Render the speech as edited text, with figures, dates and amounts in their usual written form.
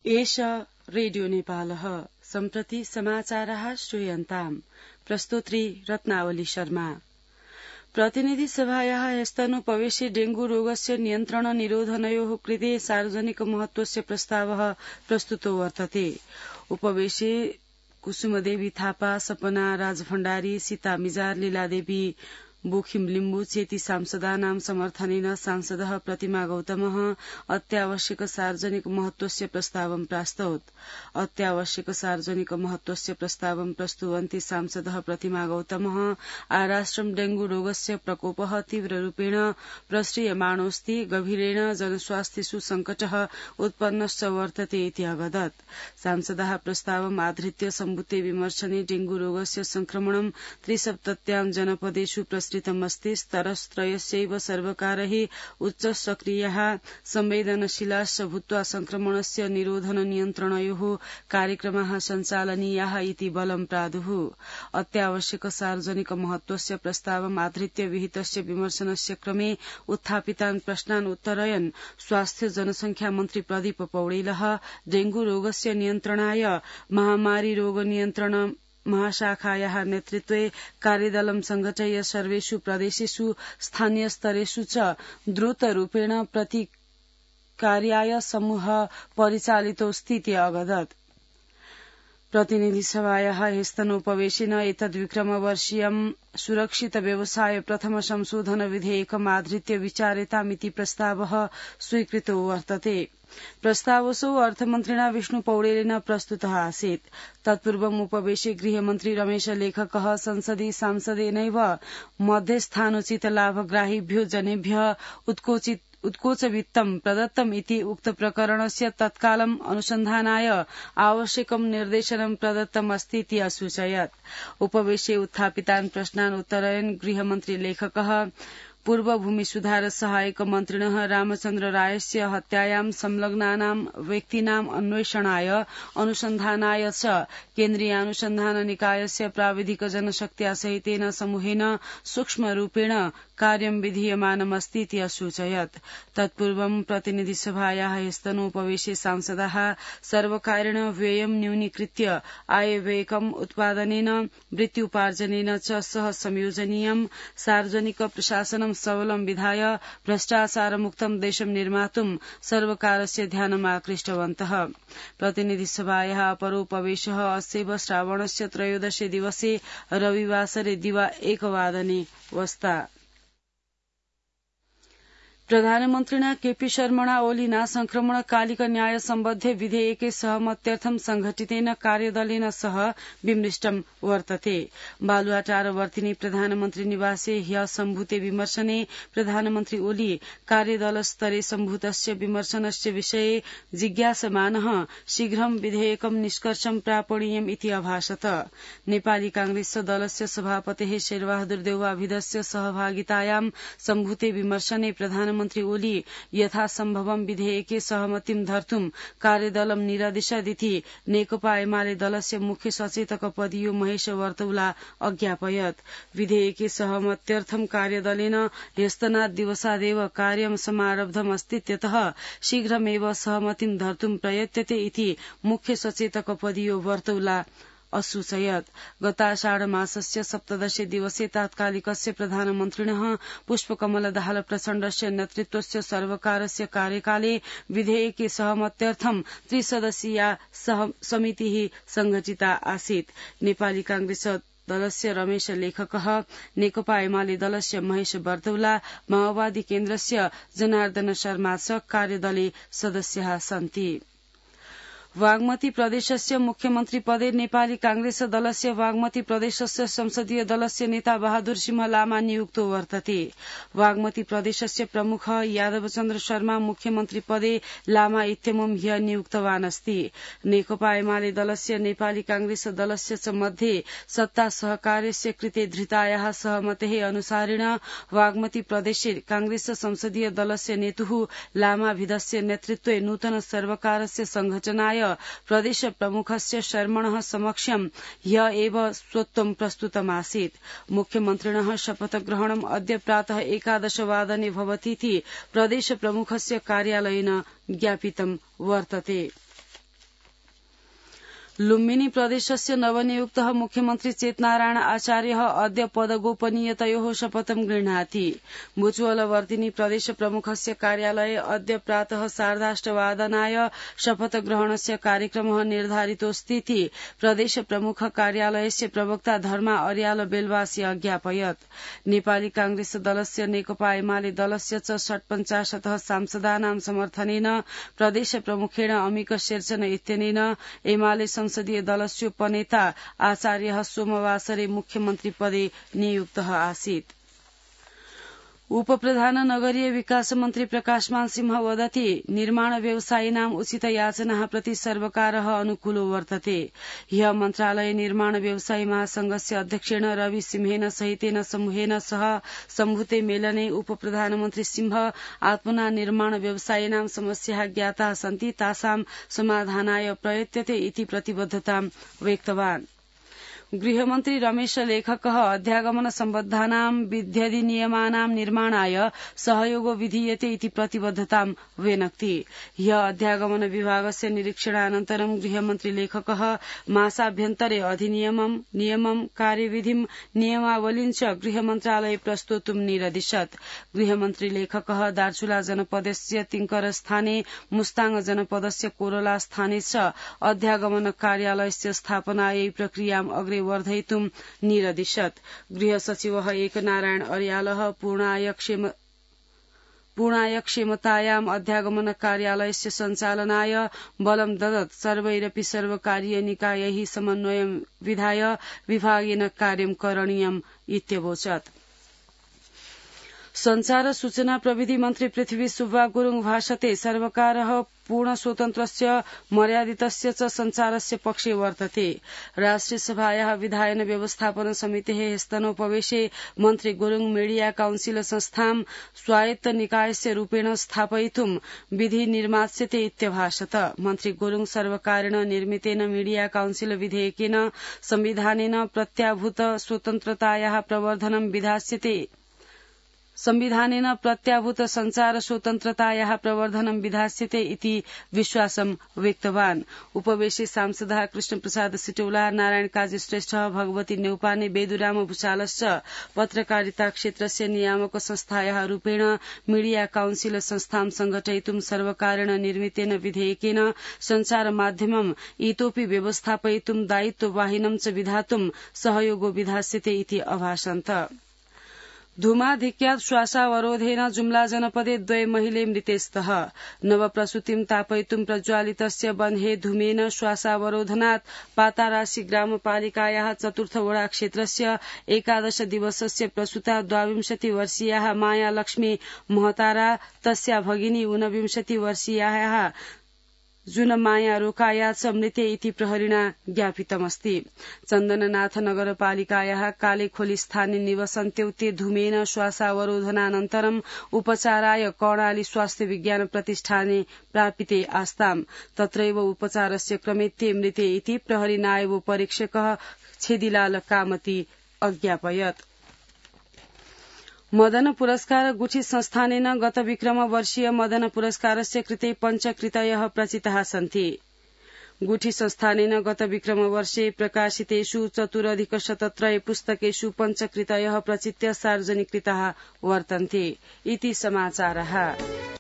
एष रेडियो नेपालः सम्प्रति समाचारः श्रूयन्ताम् प्रस्तोत्री रत्नावली शर्मा। प्रतिनिधि सभायाः ह्यस्तनुपवेशे डेंगू रोगस्य नियन्त्रण निरोधनयोः कृते सार्वजनिक महत्वस्य प्रस्तावः प्रस्तुतो वर्तते। उपवेशे कुसुमदेवी थापा, सपना राजभण्डारी, सीता मिजार, लीलादेवी बोखिम लिम्बु चेति सांसदानां समर्थनेन सांसदः प्रतिमा गौतमः अत्यावश्यक सार्वजनिक महत्वस्य प्रस्तावं प्रास्तौत्। अत्यावश्यक सार्वजनिक महत्वस्य प्रस्तावं प्रस्तुवन्ती सांसदः प्रतिमा गौतमः आराष्ट्रं डेंगू रोगस्य प्रकोपः तीव्ररूपेण प्रसृयमाणोऽस्ति, गभीरेण जनस्वास्थ्येषु संकटः उत्पन्नश्च वर्तते इति अवदत्। सांसदः प्रस्तावम् आधृत्य सम्भूते विमर्शने डेंगू रोगस्य संक्रमणं त्रिसप्तत्यां जनपदेषु प्रसृतमस्ति। स्तरत्रयस्यैव सर्वकारैः उच्च सक्रियः संवेदनशीलाश्च भूत्वा संक्रमणस्य निरोधन नियन्त्रणयोः कार्यक्रमाः सञ्चालनीयाः इति बलं प्रादुः। अत्यावश्यक सार्वजनिक महत्वस्य प्रस्तावम् आधृत्य विहितस्य विमर्शनस्य क्रमे उत्थापितान् प्रश्नान् उत्तरयन् स्वास्थ्य जनसंख्या मन्त्री प्रदीप पौडेलः डेंगू रोगस्य नियन्त्रणाय महामारी रोग नियन्त्रण महाशाखायाः नेतृत्वे कार्यदलं संघटय्य सर्वेषु प्रदेशेषु स्थानीय स्तरेषु च द्रुतरूपेण प्रतिकार्याय समूह परिचालितोऽस्तीति अवदत्। प्रतिनिधि सभायाः ह्यस्तनोपवेशेन एतद्विक्रमवर्षीयं सुरक्षित व्यवसाय प्रथम संशोधन विधेयकम् आधृत्य विचार्यतामिति प्रस्तावः स्वीकृतो वर्तते। प्रस्तावसौ अर्थमन्त्रिणा विष्णु पौडेलेन प्रस्तुतः आसीत्। तत्पूर्वम् उपवेशे गृहमन्त्री रमेश लेखकः संसदि सांसदेनैव मध्यस्थानोचित लाभग्राहिभ्यो जनेभ्यः उत्कोचवित्तं प्रदत्तम् इति उक्त प्रकरणस्य तत्कालम् अनुसन्धानाय आवश्यकं निर्देशनं प्रदत्तम् अस्ति इति असूचयत्। उपवेशे उत्थापितान् प्रश्नान् उत्तरयन् गृहमन्त्री लेखकः पूर्व भूमि सुधार सहायक मन्त्रिणः रामचन्द्र रायस्य हत्यायां संलग्नानां व्यक्तीनाम् अन्वेषणाय अनुसन्धानाय च केन्द्रीयानुसन्धान निकायस्य प्राविधिक जनशक्त्या सहितेन समूहेन सूक्ष्मरूपेण कार्यं विधीयमानमस्ति इति असूचयत्। तत्पूर्वं प्रतिनिधि सभायाः ह्यस्तनोपवेशे सांसदाः सर्वकारेण व्ययं न्यूनीकृत्य आयव्ययकम् उत्पादनेन वृत्त्युपार्जनेन च सह संयोजनीयं सार्वजनिक प्रशासनं सबलं विधाय भ्रष्टाचारमुक्तं देशं निर्मातुं सर्वकारस्य ध्यानम् आकृष्टवन्तः। प्रतिनिधि सभायाः अपरोपवेशः अस्यैव श्रावणस्य त्रयोदशे दिवसे रविवासरे दिवा 1 वादने वस्ता। प्रधानमन्त्रिणा केपी शर्मणा ओलीना संक्रमणकालिक न्याय सम्बद्धे विधेयके सहमत्यर्थं संघटितेन कार्यदलेन सह विमृष्टं वर्तते। बालुवाटार वर्तिनी प्रधानमन्त्री निवासे ह्य सम्भूते विमर्शने प्रधानमन्त्री ओली कार्यदलस्तरे सम्भूतस्य विमर्शनस्य विषये जिज्ञासमानः शीघ्रं विधेयकं निष्कर्षं प्रापणीयम् इति अभाषत। नेपाली कांग्रेस दलस्य सभापतेः शेरबहादुर देउवाभिधस्य सहभागितायां सम्भूते विमर्शने प्रधानमन्त्री ओली यथासम्भवं विधेयके सहमतिं धर्तुं कार्यदलं निरदिशदिति नेकपा एमाले दलस्य मुख्य सचेतक पदीयो महेश वर्तौला अज्ञापयत्। विधेयके सहमत्यर्थं कार्यदलेन ह्यस्तनात् दिवसादेव कार्यं समारब्धमस्तीत्यतः शीघ्रमेव सहमतिं धर्तुं प्रयत्यते इति मुख्य सचेतक पदीयो वर्तौला असूचयत्। गताषाढ मासस्य 17 दिवसे तात्कालिकस्य प्रधानमन्त्रिणः पुष्पकमल दाहाल प्रचण्डस्य नेतृत्वस्य सर्वकारस्य कार्यकाले विधेयके सहमत्यर्थं 3 सदस्यीया समितिः संघटिता आसीत्। नेपाली कांग्रेस दलस्य रमेश लेखकः, नेकपा एमाले दलस्य महेश वर्तौला, माओवादी केन्द्रस्य जनार्दन शर्मा च कार्यदले सदस्याः सन्ति। वागमती प्रदेशस्य मुख्यमन्त्री पदे नेपाली कांग्रेस दलस्य वागमती प्रदेशस्य संसदीय दलस्य नेता बहादुर सिंह लामा नियुक्तो वर्तते। वागमती प्रदेशस्य प्रमुख यादवचन्द्र शर्मा मुख्यमन्त्री पदे लामा इत्यमुं ह्य नियुक्तवान् अस्ति। नेकपा एमाले दलस्य नेपाली कांग्रेस दलस्य च मध्ये सत्ता सहकार्यस्य कृते धृतायाः सहमतेः अनुसारेण वागमती प्रदेशे कांग्रेस संसदीय दलस्य नेतुः लामाभिधस्य नेतृत्वे नूतन सर्वकारस्य संघटनाय प्रदेश प्रमुखस्य शर्मणः समक्षं ह्य एव स्वत्वं प्रस्तुतमासीत्। मुख्यमन्त्रिणः शपथग्रहणम् अद्य प्रातः 11 वादने भवतीति प्रदेश प्रमुखस्य कार्यालयेन ज्ञापितं वर्तते। लुम्बिनी प्रदेशस्य नवनियुक्तः मुख्यमन्त्री चेतनारायण आचार्यः अद्य पदगोपनीयतयोः शपथं गृह्णाति। बुचुवलवर्तिनी प्रदेश प्रमुखस्य कार्यालये अद्य प्रातः 8:30 शपथग्रहणस्य कार्यक्रमः निर्धारितोऽस्तीति प्रदेश प्रमुख कार्यालयस्य प्रवक्ता धर्मा अर्याल बेलवासी अज्ञापयत्। नेपाली कांग्रेस दलस्य नेकपा एमाले दलस्य च 48 सांसदानां समर्थनेन प्रदेश प्रमुखेण अमिक शेरचन इत्यनेन एमाले संसदीय दलस्योपनेता आचार्यः सोमवासरे मुख्यमन्त्री पदे नियुक्तः आसीत्। उपप्रधान नगरीय विकास मन्त्री प्रकाशमान सिंह वदति निर्माण व्यवसायिनाम् उचित याचनाः प्रति सर्वकारः अनुकूलो वर्तते। ह्यः मन्त्रालये निर्माण व्यवसायी महासंघस्य अध्यक्षेण रवि सिंहेन सहितेन समूहेन सह सम्भूते मेलने उपप्रधानमन्त्री सिंह आत्मना निर्माण व्यवसायिनां समस्याः ज्ञाताः सन्ति तासां समाधानाय प्रयत्यते इति प्रतिबद्धतां व्यक्तवान्। गृहमन्त्री रमेश लेखकः अध्यागमन सम्बद्धानां विध्यधिनियमानां निर्माणाय सहयोगो विधीयते इति प्रतिबद्धतां व्यनक्ति। ह्यः अध्यागमन विभागस्य निरीक्षणानन्तरं गृहमन्त्री लेखकः मासाभ्यन्तरे अधिनियमं नियमं कार्यविधिं नियमावलीं च गृहमन्त्रालये प्रस्तोतुं निरदिशत्। गृहमन्त्री लेखकः दार्चुला जनपदस्य तिङ्करस्थाने मुस्ताङ जनपदस्य कोरला स्थाने च अध्यागमन कार्यालयस्य स्थापनायै प्रक्रियाम् अग्रे वर्धयितुं निरदिशत्। गृह सचिवः एकनारायण अर्यालः पूर्णाय क्षेमतायाम् अध्यागमन कार्यालयस्य सञ्चालनाय बलं ददत्। सर्वैरपि सर्वकारीय निकायैः समन्वयं विधाय विभागेन कार्यं करणीयम् इत्यवोचत्। संचार सूचना प्रविधि मन्त्री पृथ्वी सुब्बा गुरुङ भाषते सर्वकारः पूर्ण स्वतन्त्रस्य मर्यादितस्य च संचारस्य पक्षे वर्तते। राष्ट्रिय सभायाः विधायन व्यवस्थापन समितेः स्तनोपवेशे मन्त्री गुरुङ मीडिया काउन्सिल संस्थां स्वायत्त निकायस्य रूपेण स्थापयितुं विधि निर्मास्यते इत्यभाषत। मन्त्री गुरुङ सर्वकारेण निर्मितेन मीडिया काउन्सिल विधेयकेन संविधानेन प्रत्याभूत स्वतन्त्रतायाः प्रवर्धनं विधास्यते संविधानेन प्रत्याभूत संचार स्वतन्त्रतायाः प्रवर्धनं विधास्यते इति विश्वासं व्यक्तवान्। उपवेशे सांसदः कृष्णप्रसाद सिटौला, नारायण काजी श्रेष्ठ, भगवती नेउपाने, बेदुराम भूषालश्च पत्रकारिता क्षेत्रस्य नियामक संस्थायाः रूपेण मीडिया काउन्सिल संस्थां संघटयितुं सर्वकारेण निर्मितेन विधेयकेन संचार माध्यमम् इतोपि व्यवस्थापयितुं दायित्ववाहिनं च विधातुं सहयोगो विधास्यते इति अभाषन्त। धूमाधिक्यात् श्वासावरोधेन जुम्ला जनपदे 2 महिले मृतेस्तः। नवप्रसूतिं तापयितुं प्रज्वालितस्य बन्हे धूमेन श्वासावरोधनात् पाताराशी ग्रामपालिकायाः 4th वडा क्षेत्रस्य 11 दिवसस्य प्रसूता 22 वर्षीयाः माया लक्ष्मी महतारा तस्या भगिनी 29 वर्षीयाः जुनमाया रोकाया च मृते इति प्रहरिणा ज्ञापितमस्ति। चन्दननाथ नगरपालिकायाः कालेखोली स्थाने निवसन्त्यौ ते धूमेन श्वासावरोधनानन्तरम् उपचाराय कर्णाली स्वास्थ्य विज्ञान प्रतिष्ठाने प्रापिते आस्ताम्। तत्रैव उपचारस्य क्रमे ते मृते इति प्रहरी नायब परीक्षकः छेदीलाल कामती अज्ञापयत्। मदन पुरस्कार गुठी संस्थानेन गत विक्रम वर्षीय मदन पुरस्कारस्य कृते पञ्चकृतयः प्रचिताः सन्ति। गुठी संस्थानेन गत विक्रम वर्षे प्रकाशितेषु 4,173 पुस्तकेषु पञ्चकृतयः प्रचित्य सार्वजनिकृताः वर्तन्ते इति समाचारः।